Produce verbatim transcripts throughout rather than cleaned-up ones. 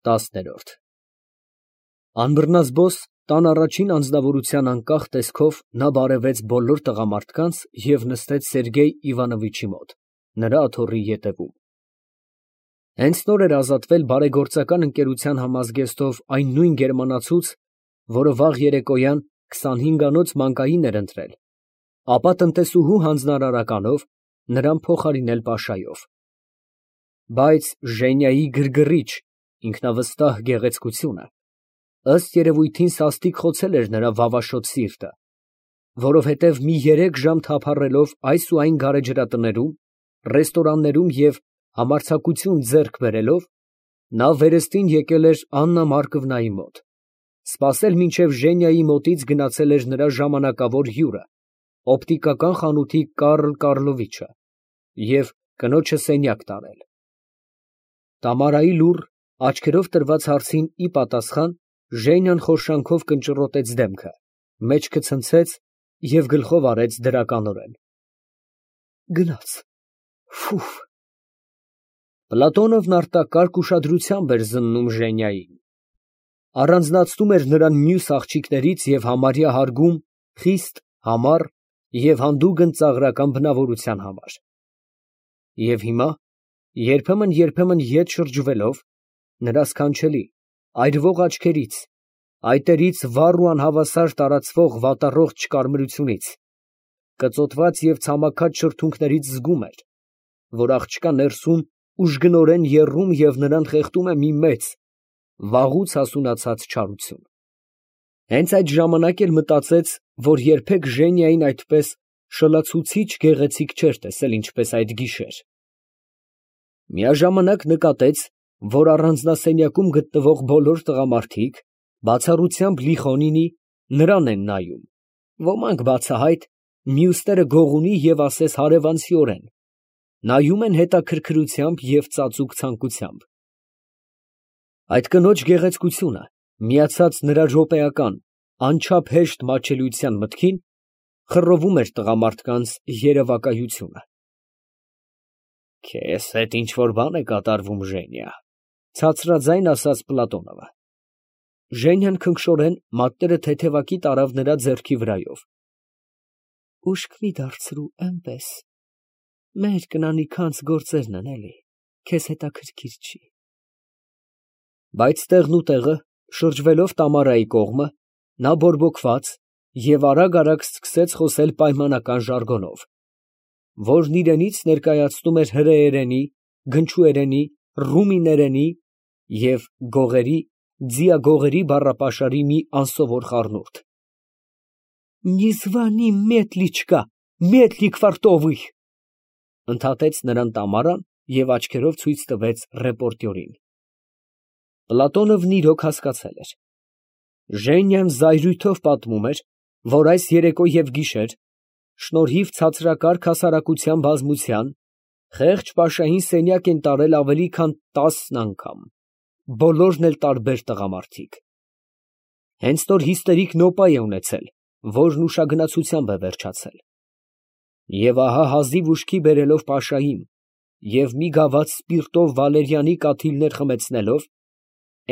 Տասներորդ Անբռնազբոս տան առաջին անձնավորության անկախ տեսքով նա բարևեց բոլոր տղամարդկանց և նստեց Սերգեյ Իվանովիչի մոտ, նրա աթոռի ետևում։ Հենց նոր էր ազատվել բարեգործական ընկերության համազգեստով այն նույն գերմանացուց, որը վաղ երեկոյան քսանհինգանոց մանկային էր ընտրել, ապա տնտեսուհու հանձնարարականով նրան փոխարինել Պաշայով։ Բայց Ժենյայի գրգռիչ, ինքնավստահ գեղեցկությունը ըստ երևույթին սաստիկ խոցել էր նրա վավաշոտ սիրտը, որովհետև մի երեք ժամ թափառելով այս ու այն գարեջրատներում, ռեստորաններում և համարձակություն ձեռք բերելով, նա վերստին եկել էր Աննա Մարկովնայի մոտ, սպասել մինչև Ժենյայի մոտից գնացել էր նրա ժամանակավոր հյուրը, օպտիկական խանութի Կարլ Կարլովիչը, և կնոջը սենյակ տարել։ Տամարայի լուռ, աչքերով տրված հարցին ի պատասխան Ժենյան խորշանքով կնճռոտեց դեմքը, մեջքը ցնցեց և գլխով արեց դրականորեն. Գնաց, ֆի։ Պլատոնովն արտակարգ ուշադրությամբ էր զննում Ժենյային, առանձնացնում էր նրան մյուս աղջիկներից և համարյա հարգում խիստ, համառ և հանդուգն ծաղրական բնավորության համար։ Եվ հիմա, երբեմն֊երբեմն ետ շրջվելով, նրա սքանչելի, այրվող աչքերից, այտերից վառ ու անհավասար տարածվող վատառողջ կարմրությունից, կծոտված և ցամաքած շրթունքներից զգում էր, որ աղջկա ներսում ուժգնորեն եռում և նրան խեղդում է մի մեծ, վաղուց հասունացած չարություն։ Հենց այդ ժամանակ էլ մտածեց, որ երբեք Ժենյային այդպես շլացուցիչ գեղեցիկ չէր տեսել, ինչպես այդ գիշեր։ Միաժամանակ նկատեց, որ առանձնասենյակում գտնվող բոլոր տղամարդիկ, բացառությամբ Լիխոնինի, նրան են նայում, ոմանք բացահայտ, մյուսները գողունի և ասես հարևանցիորեն, նայում են հետաքրքրությամբ և ծածուկ ցանկությամբ։ Այդ կնոջ գեղեցկությունը, միացած նրա րոպեական, անչափ հեշտ մատչելիության մտքին, խռովում էր տղամարդկանց երևակայությունը։ «Քեզ հետ ինչ֊որ բան է կատարվում, Ժենյա», ֊ ցածրաձայն ասաց Պլատոնովը։ Ժենյան քնքշորեն մատները թեթևակի տարավ նրա ձեռքի վրայով։ Ուշք մի դարձրու, էնպես, մեր կնանիքանց գործերն են, էլի, քեզ հետաքրքիր չի։ Բայց տեղնուտեղը, շրջվելով Տամարայի կողմը, նա բորբոքված և արագ֊արագ սկսեց խոսել պայմանական ժարգոնով, որն իրենից ներկայացնում էր հրեերենի, գնչուերենի, ռումիներենի և գողերի, ձիագողերի բառապաշարի մի անսովոր խառնուրդ։ «Նիզվանի մետլիչկա, մետլի քվարտովի», ֊ ընդհատեց նրան Տամարան և աչքերով ցույց տվեց ռեպորտյորին։ Պլատոնովն իրոք հասկացել էր։ Ժենյան զայրույթով պատմում էր, որ այս երեկո և գիշեր, շնորհիվ ցածրակարգ հասարակության բազմության, խեղճ Պաշային սենյակ են տարել ավելի քան տասն անգամ, բոլորն էլ տարբեր տղամարդիկ։ Հենց նոր հիստերիկ նոպա է ունեցել, որն ուշագնացությամբ է վերջացել։ Եվ ահա հազիվ ուշքի բերելով Պաշային և մի գավաթ սպիրտով վալերիանի կաթիլներ խմեցնելով,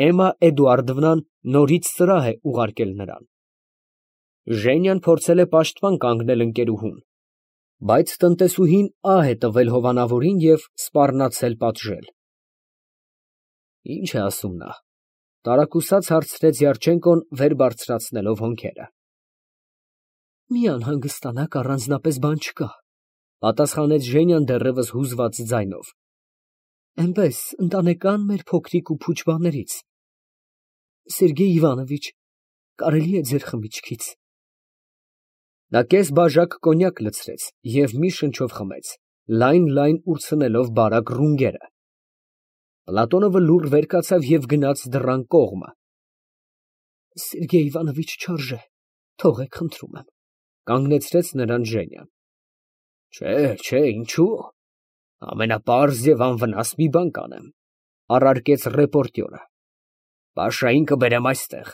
Էմմա Էդուարդովնան նորից սրահ է ուղարկել նրան։ Ժենյան փորձել է պաշտպան կանգնել ընկերուհուն, բայց տնտեսուհին ահ է տվել հովանավորին և սպառնացել պատժել։ Ի՞նչ է ասում նա, ֊ տարակուսած հարցրեց Յարչենկոն, վեր բարձրացնելով հոնքերը։ Մի անհանգստանաք, առանձնապես բան չկա, ֊ պատասխանեց Ժենյան դեռևս հուզված ձայնով, էնպես, ընտանեկան մեր փոքրիկ ու փուչ բաներից։ Սերգեյ Իվանովիչ, կարելի է ձեր խմիչքից։ Նա կես բաժակ կոնյակ լցրեց և մի շնչով խմեց, լայն֊լայն ուրցնելով բարակ ռունգերը։ Պլատոնովը լուռ վեր կացավ և գնաց դռան կողմը։ Սերգեյ Իվանովիչ չարժե, թողեք, խնդրում եմ, ֊ կանգնեցրեց նրան Ժենյան։ Չէ, չէ, ինչո՞ւ, ամենապարզ և անվնաս մի բան կանեմ, ֊ առարկեց ռեպորտյորը։ Պաշային կբերեմ այստեղ,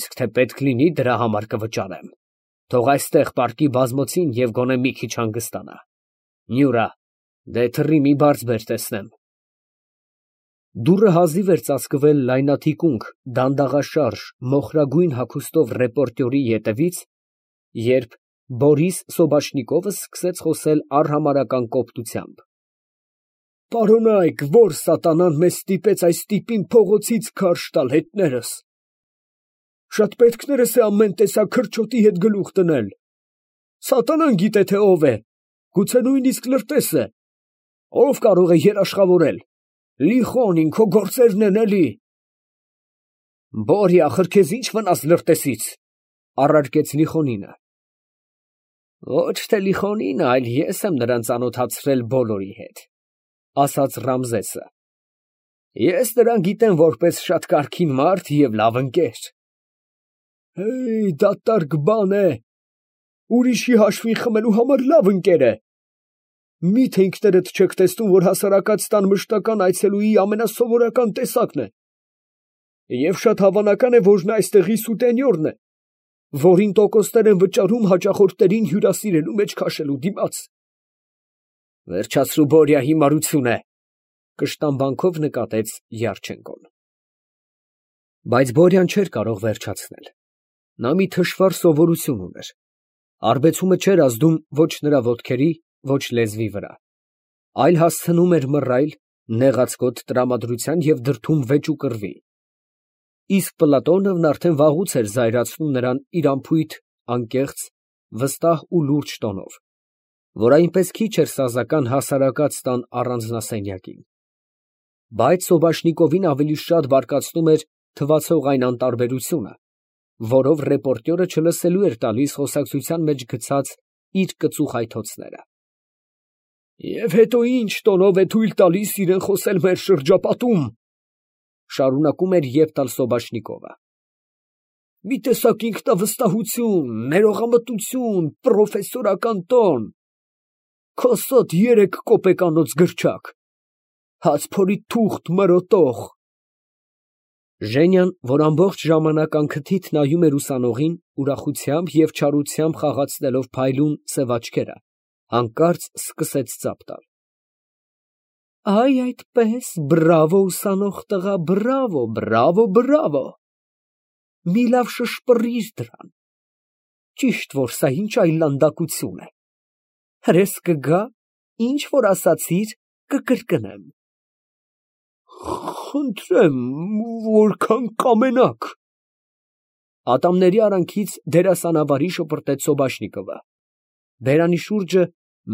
իսկ թե պետք լինի, դրա համար կվճարեմ, թող այստեղ պառկի բազմոցին և գոնե մի քիչ հանգստանա։ Նյուրա, դե թռի մի բարձ բեր, տեսնեմ։ Դուռը հազիվ էր ծածկվել լայնաթիկունք, դանդաղաշարժ, մոխրագույն հագուստով ռեպորտյորի ետևից, երբ Բորիս Սոբաշնիկովը սկսեց խոսել արհամարհական կոպտությամբ. «Պարոնայք, ո՞ր սատանան մեզ ստիպեց այս տիպին փողոցից քարշ տալ հետներս. շատ պետքներս է ամեն տեսակ քրչոտի հետ գլուխ դնել. սատանան գիտե թե ով է, գուցե նույնիսկ լրտես է, ով կարող է երաշխավորել, Լիխոնին քո գործերն են էլի»։ «Բորյա, ախր քեզ ի՞նչ վնաս լրտեսից», առարկեց Լիխոնինը։ «Ոչ թե Լիխոնինը, այլ ես եմ նրան ծանոթացրել բոլորի հետ», ասաց Ռամզեսը։ «Ես նրան գիտեմ որպես շատ կարգին մարդ և լավ ընկեր»։ «Հեյ, դատարկ բան է, ուրիշի հաշվին խմելու համար լավ ընկեր է։ Մի՞թե ինքներդ չեք տեսնում, որ հասարակած տան մշտական այցելուի ամենասովորական տեսակն է։ Եվ շատ հավանական է, որ նա այստեղի սուտենյորն է, որին տոկոսներ են վճարում հաճախորդներին հյուրասիրելու մեջ քաշելու դիմաց»։ «Վերջացրու, Բորյա, հիմարություն է», կշտամբանքով նկատեց Յարչենկոն։ Բայց Բորյան չէր կարող վերջացնել. նա մի թշվառ սովորություն ուներ. արբեցումը չէր ազդում ոչ նրա ոտքերի, ոչ լեզվի վրա, այլ հասցնում էր մռայլ, նեղացկոտ տրամադրության և դրդում վեճու կռվի։ Իսկ Պլատոնովն արդեն վաղուց էր զայրացնում նրան իր անփույթ, անկեղծ, վստահ ու լուրջ տոնով, որ այնպես քիչ էր սազական հասարակած տան առանձնասենյակին։ Բայց Սոբաշնիկովին ավելի շատ բարկացնում էր թվացող այն անտարբերությունը, որով ռեպորտյորը չլսելու էր տալիս խոսակցության մեջ գցած իր կծու խայթոցները։ «Եվ հետո ի՞նչ տոնով է թույլ տալիս իրան խոսել մեր շրջապատում», շարունակում էր Եվտալ֊Սոբաշնիկովը։ «Մի տեսակ ինքնավստահություն, ներողամտություն, պրոֆեսորական տոն, քո սոտ երեք կոպեկանոց գրչակ, հաց փորի թուղթ մրոտող»։ Ժենյան, որ ամբողջ ժամանակ անքթիթ նայում էր ուսանողին, ուրախությամբ և չարությամբ խաղացնելով փայլուն սև աչքերը, հանկարծ սկսեց ծափ տալ. «Այ այդպես, բրավո, ուսանող տղա, բրավո, բրավո, բրավո, մի լավ շշպռիր դրան, ճիշտ որ սա ինչ այլանդակություն է, հրես կգա, ինչ որ ասացիր, կկրկնեմ»։ «Խնդրեմ, որքան կամենաք», ատամների արանքից դերասանավարի շպրտեց Սոբաշնիկովը, բերանի շուրջը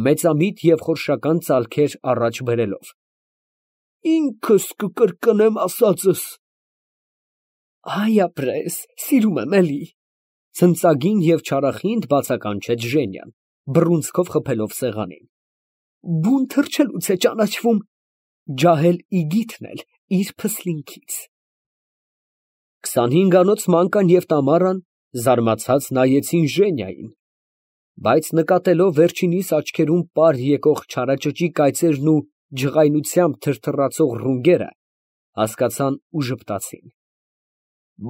մեծամիտ և խորշական ծալքեր առաջ բերելով։ «Ինքս կկրկնեմ ասածս»։ «Այ ապրես, սիրում եմ էլի», ցնծագին և չարախինդ բացականչեց Ժենյան, բռունցքով խփելով սեղանին։ «Բուն թռչելուց է ճանաչվում, ջահել իգիթն էլ իր փսլինքից»։ Քսանհինգանոց Մանկան և Տամարան զարմացած նայեցին Ժենիային, բայց նկատելով վերջինիս աչքերում պար եկող չարաճճի կայծերն ու ջղայնությամբ թրթռացող ռունգերը, հասկացան ու ժպտացին։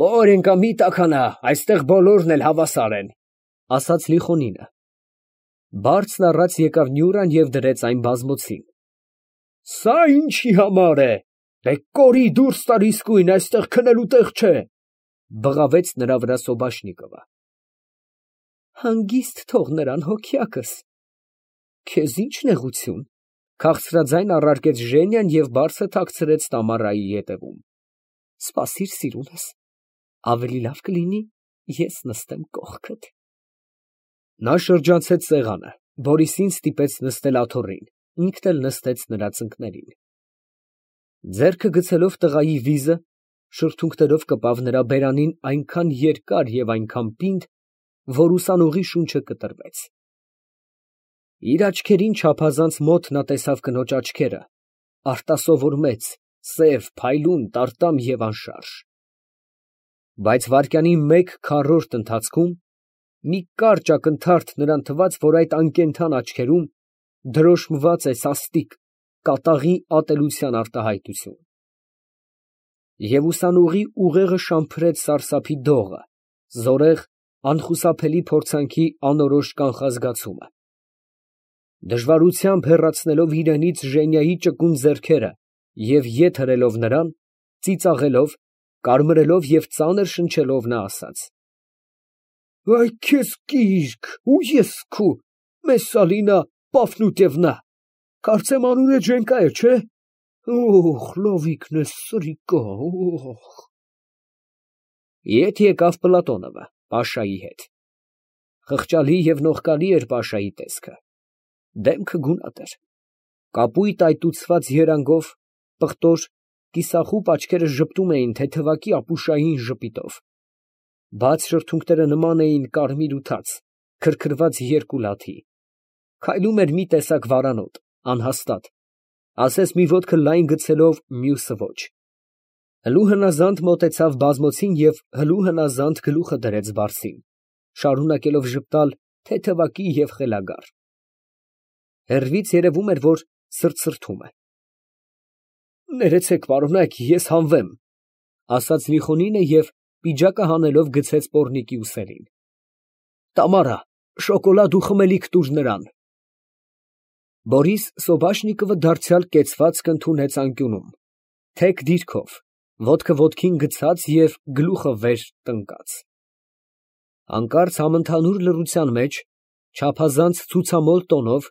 «Բորենկա, մի տաքանա, այստեղ բոլորն էլ հավասար են», ասաց Լիխոնինը։ Բարձն առած եկավ Նյուրան և դրեց այն բազմոցին։ «Սա ինչի համար է, դե կորի դուրս տար իսկույն, այստեղ քնելու տեղ չէ», բղավեց նրա վրա Սոբաշնիկովը։ «Հանգիստ թող նրան, հոգյակս, քեզ ի՞նչ նեղություն», քաղցրաձայն առարկեց Ժենյան և բարձը թաքցրեց Տամարայի ետևում։ «Սպասիր, սիրունս, ավելի լավ կլինի ես նստեմ կողքդ»։ Նա շրջանցեց սեղանը, Բորիսին ստիպեց նստել աթոռին, ինքն էլ նստեց նրա ծնկներին։ Ձեռքը գցելով տղայի վիզը, շրթունքներով կպավ նրա բերանին այնքան երկար և այնքան պինդ, որ ուսանողի շունչը կտրվեց։ Իր աչքերին չափազանց մոտ նա տեսավ կնոջ աչքերը, արտասովոր մեծ, սև, փայլուն, տարտամ և անշարժ։ Բայց վայրկյանի մեկ քառորդ ընթացքում մի կարճ ակնթարթ նրան թվաց, որ այդ անկենդան աչքերում դրոշմված է սաստիկ, կատաղի ատելության արտահայտություն։ Եվ ուսանողի ուղեղը շամփրեց սարսափի դողը, զորեղ, անխուսափելի փորձանքի անորոշ կանխազգացումը։ Դժվարությամբ հեռացնելով իրենից Ժենիայի ճկուն ձեռքերը և ետ հրելով նրան, ծիծաղելով, կարմրելով և ծանր շնչելով նա ասաց. «Այ քեզ կիրք, ու ես քու, Մեսսալինա Պաֆնուտևնա, կարծեմ անունդ Ժենկա է, չէ՞, օ՜խ, լովիկն ես սրիկա, օ՜խ»։ Ետ եկավ Պլատոնովը փաշայի հետ. խղճալի և նողկալի էր փաշայի տեսքը, դեմքը գունատ էր, կապույտ այտուցված երանգով, պղտոր, կիսախուպ աչքերը ժպտում էին թեթևակի ապուշային ժպիտով, բաց շրթունքները նման էին կարմիր ու թաց, քրքրված երկու լաթի, քայլում էր մի տեսակ վարանոտ, անհաստատ, ասես մի ոտքը լայն գցելով, մյուսը ոչ, հլու հնազանդ մոտեցավ բազմոցին և հլու հնազանդ գլուխը դրեց բարձին, շարունակելով ժպտալ թեթևակի և խելագար, հեռվից երևում էր, որ սրտսրտում է։ «Ներեցեք, պարոնակ, ես հանվեմ», ֊ ասաց Միխոնինը և պիջակը հանելով գցեց պոռնիկի ուսերին։ «Տամարա, շոկոլադ ու խմելիք տուր նրան»։ Բորիս Սոբաշնիկովը դարձյալ կեցվածք ընդունեց անկյունում, թեք դիրքով, ոտքը ոտքին գցած և գլուխը վեր տնկած։ Հանկարծ համընդհանուր լռության մեջ, չափազանց ցուցամոլ տոնով,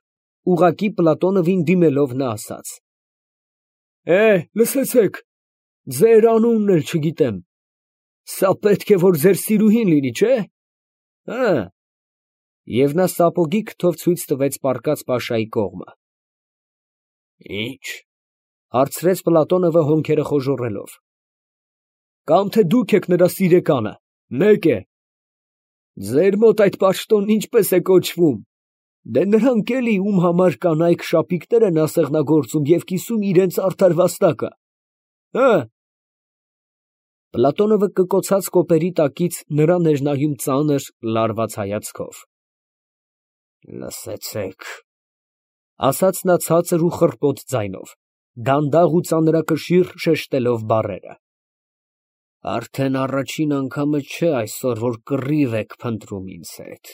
ուղղակի Պլատոնովին դիմելով նա ասաց. «Է, լսեցեք, ձեր անունն էլ չգիտեմ, սա պետք է որ ձեր սիրուհին լինի, չէ՞, հը՞։ Եվ նա սապոգի քթով ցույց տվեց պառկած փաշայի կողմը։ «Ի՞նչ», հարցրեց Պլատոնովը հոնքերը խոժոռելով։ «Կամ թե դուք եք նրա սիրեկանը, մեկ է։ Ձեր մոտ այդ պաշտոնն ինչպես է կոչվում, դե նրանք էլի, ում համար կանայք շապիկներ են ասեղնագործում և կիսում իրանց արդար վաստակը, հը»։ Պլատոնովը կկոցած կոպերի տակից նրան էր նայում ծանր, լարված հայացքով։ «Լսեցեք», ֊ ասաց նա ցածր ու խռպոտ ձայնով, դանդաղ ու ծանրակշիռ շեշտելով բառերը, «արդեն առաջին անգամը չէ այսօր, որ կռիվ եք փնտրում ինձ հետ,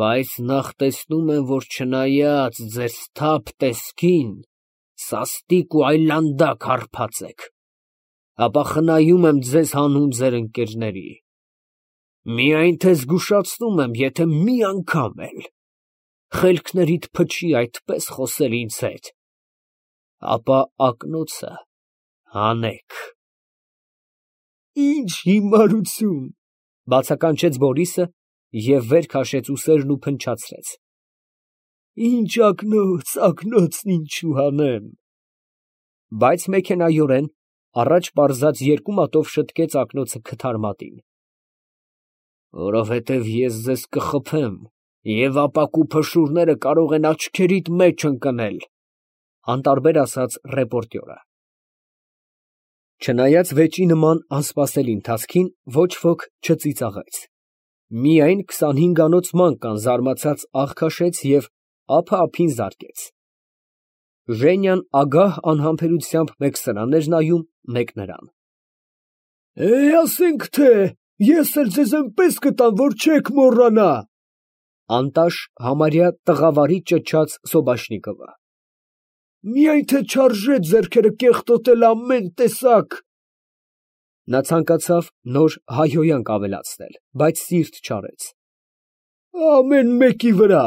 բայց նախ տեսնում եմ, որ չնայած ձեր սթափ տեսքին, սաստիկ ու այլանդակ հարբած եք, ապա խնայում եմ ձեզ հանուն ձեր ընկերների, միայն թե զգուշացնում եմ, եթե մի անգամ էլ խելքներիդ փչի այդպես խոսել ինձ հետ, ապա ակնոցը հանեք»։ «Ի՞նչ հիմարություն», ֊ բացականչեց Բորիսը և վեր քաշեց ուսերն ու փնչացրեց։ «Ինչ ակնոց, ակնոցն ինչու հանեմ»։ Բայց մեքենայորեն առաջ պարզած երկու մատով շտկեց ակնոցը քթարմատին։ «Որովհետև ես ձեզ կխփեմ, և ապակու փշուրները կարող են աչքերիդ մեջ ընկնել», ֊ անտարբեր ասաց ռեպորտյորը։ Չնայած վեճի նման անսպասելի ընթացքին, ոչ ոք չծիծաղեց, միայն քսանհինգանոց ման զարմացած աղ քաշեց և ափը ափին զարկեց։ Ժենյան ագահ անհամբերությամբ մեկ սրանն էր նայում, մեկ նրան։ «Է, ասենք թե, ես էլ ձեզ էնպես կտամ, որ չեք մոռանա», ֊ անտաշ համարյա տղավարի ճչաց Սոբաշնիկովը։ «Միայն թե չարժե ձեռքերը կեղտոտել ամեն տեսակ»։ Նա ցանկացավ նոր հայհոյանք ավելացնել, բայց սիրտ չարեց։ «Ամեն մեկի վրա։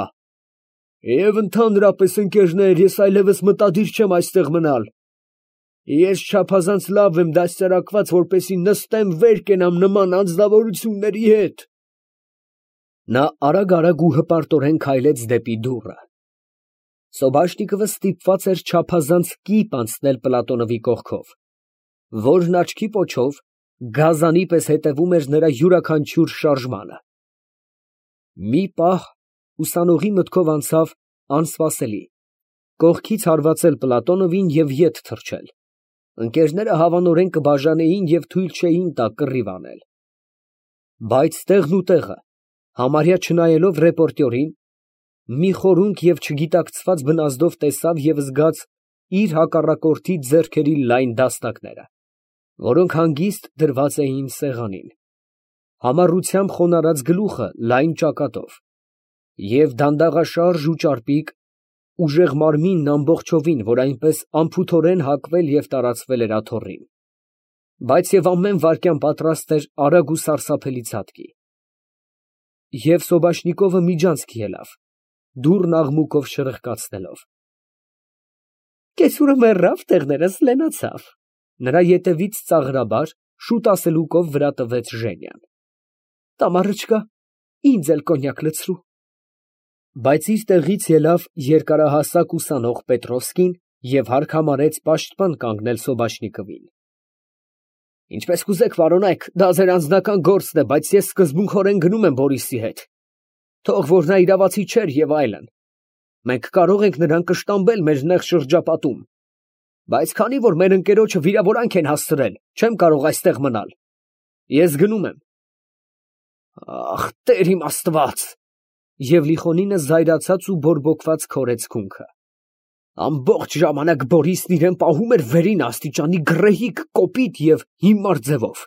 Եվ ընդհանրապես, ընկերներ, ես այլևս մտադիր չեմ այստեղ մնալ, ես չափազանց լավ եմ դաստիարակված, որպեսզի նստեմ, վեր կենամ նման անձնավորությունների հետ»։ Նա արագ֊արագ ու հպարտորեն քայլեց դեպի դուռը։ Սոբաշնիկովը ստիպված էր չափազանց կիպ անցնել Պլատոնովի կողքով, որն աչքի պոչով գազանի պես հետևում էր նրա յուրաքանչյուր շարժմանը։ Մի պահ ուսանողի մտքով անցավ անսպասելի, կողքից հարվածել Պլատոնովին և ետ թռչել, ընկերները հավանորեն կբաժանեին և թույլ չէին տա կռիվ անել։ Բայց տեղն ու տեղը, համարյա չնայելով ռեպորտյորին, մի խորունկ և չգիտակցված բնազդով տեսավ և զգաց իր հակառակորդի ձեռքերի լայն դաստակները, որոնք հանգիստ դրված էին սեղանին, համառությամբ խոնարհած գլուխը լայն ճակատով և դանդաղաշարժ ու ճարպիկ, ուժեղ մարմինն ամբողջովին, որ այնպես անփութորեն հակվել և տարածվել էր աթոռին, բայց և ամեն վայրկյան պատրաստ էր արագ ու սարսափելի ցատկի։ Եվ Սոբաշնիկովը միջանցք ելավ, դուռն աղմուկով շրխկացնելով։ Կեցուրը մեռավ, տեղներս լենացավ։ Նրա ետևից ծաղրաբար, շուտ ասելուկով վրա տվեց Ժենյան։ Տամարը չկա, ինձ էլ կոնյակ լցրու։ Բայց իր տեղից ելավ երկարահասակ ուսանող Պետրովսկին և հագնեց պաշտպան կանգնել Սոբաշնիկովին։ Ինչպես կուզեք, պարոնայք, դա ձեր անձնական գործն է, բայց ես սկզբունքորեն գնում եմ Բորիսի հետ։ Թող որ նա իրավացի չէր և այլն։ Մենք կարող ենք նրան կշտամբել մեր նեղ շրջապատում, բայց քանի որ մեր ընկերոջը վիրավորանք են հասցրել, չեմ կարող այստեղ մնալ։ Ես գնում եմ։ Ախ, Տեր իմ Աստված։ Եվ Լիխոնինը զայրացած ու բորբոքված քորեց քունքը։ Ամբողջ ժամանակ Բորիսն իրան պահում էր վերին աստիճանի գռեհիկ, կոպիտ և հիմար ձևով։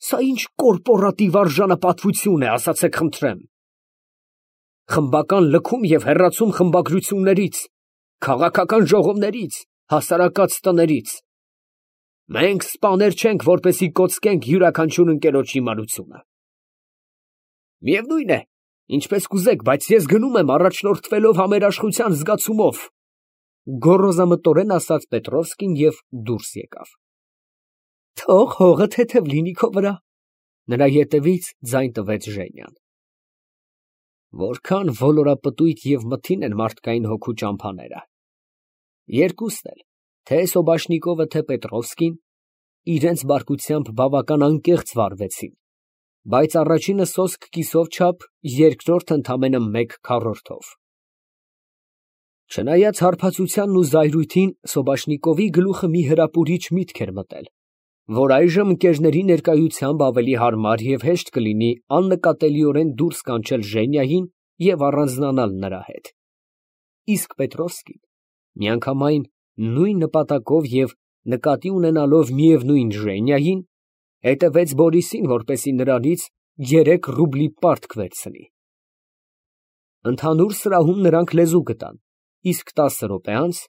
Սա ինչ կորպորատիվ արժանապատվություն է, ասացեք խնդրեմ։ Խմբական լքում և հեռացում խմբագրություններից, քաղաքական ժողովներից, հասարակած տներից։ Մենք սպաներ չենք, որպեսզի կոծկենք յուրաքանչյուր ընկերոջ հիմարությունը։ Միևնույն է, ինչպես կուզեք, բայց ես գնում եմ առաջնորդվելով համերաշխության զգացումով, գոռոզամտորեն ասաց Պետրովսկին և դուրս եկավ։ Թող հողը թեթև լինի քո վրա։ Նրա ետևից ձայն տվեց Ժենյան։ Որքան ոլորապտույտ և մթին են մարդկային հոգու ճամփաները։ Երկուսն էլ, թե Սոբաշնիկովը, թե Պետրովսկին, իրենց բարկությամբ բավական անկեղծ վարվեցին, բայց առաջինը սոսկ կիսով չափ, երկրորդը ընդամենը մեկ քառորդով։ Չնայած հարբածությանն ու զայրույթին, Սոբաշնիկովի գլուխը մի հրապուրիչ միտք էր մտել, որ այժմ ընկերների ներկայությամբ ավելի հարմար և հեշտ կլինի աննկատելիորեն դուրս կանչել Ժենիային և առանձնանալ նրա հետ։ Իսկ Պետրովսկին միանգամայն նույն նպատակով և նկատի ունենալով միևնույն Ժենիային, հետևեց Բորիսին, որպեսզի նրանից երեք ռուբլի պարտք վերցնի։ Ընդհանուր սրահում նրանք լեզու գտան, իսկ տասը րոպե անց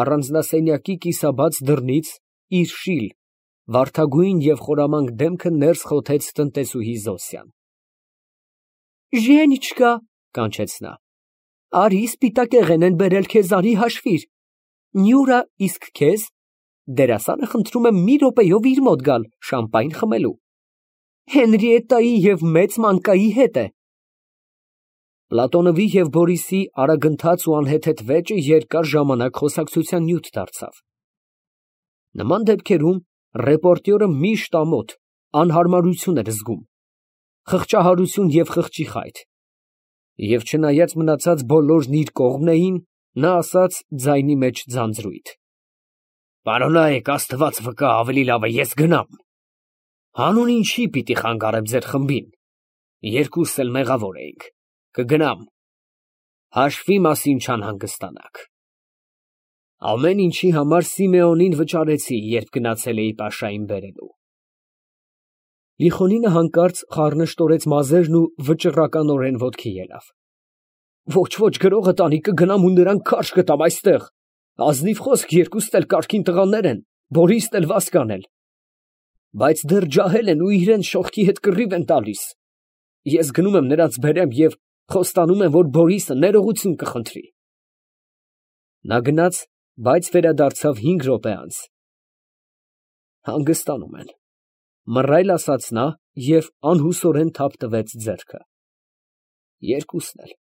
առանձնասենյակի կիսաբաց դռնից իր շիլ, վարդագույն և խորամանկ դեմքը ներս խոթեց տնտեսուհի Զոսյան։ Ժենիչկա, կանչեց նա, արի սպիտակեղեն են բերել քեզ, արի հաշվիր։ Նյուրա, իսկ քեզ։ Դերասանը խնդրում է մի րոպեով իր մոտ գալ շամպայն խմելու։ Հենրիետայի և մեծ մանկայի հետ է։ Պլատոնովի և Բորիսի արագընթաց ու անհեթեթ վեճը երկար ժամանակ խոսակցության նյութ դարձավ։ Նման դեպքերում ռեպորտյորը միշտ ամոթ, անհարմարություն էր զգում, խղճահարություն և խղճի խայթ, և չնայած մնացած բոլորն իր կողմն էին, նա ասաց ձայնի մեջ ձանձրույթ. Պարոնայք, Աստված վկա, ավելի լավ է ես գնամ։ Հանուն ինչի պիտի խանգարեմ ձեր խմբին, երկուսս էլ մեղավոր էինք, կգնամ, հաշվի մասին չանհանգստանաք։ Ամեն ինչի համար Սիմեոնին վճարեցի, երբ գնացել էի Պաշային բերելու։ Լիխոնինը հանկարծ խառնշտորեց մազերն ու վճռականորեն ոտքի ելավ։ Ոչ, ոչ, գրողը տանի, կգնամ ու նրան քարշ կտամ այստեղ։ Ազնիվ խոսք, երկուստ էլ կարգին տղաներ են, Բորիսն էլ Վասկան էլ։ Բայց դեռ ջահել են ու իրենց շողքի հետ կռիվ են տալիս։ Ես գնում եմ նրանց բերեմ և խոստանում եմ, որ Բորիսը ներողություն կխնդրի։ Նա գնաց, բայց վերադարձավ հինգ րոպե անց։ Հանգստանում են, մռայլ ասաց նա և անհուսորեն թափ տվեց ձեռքը։ Երկուսն էլ։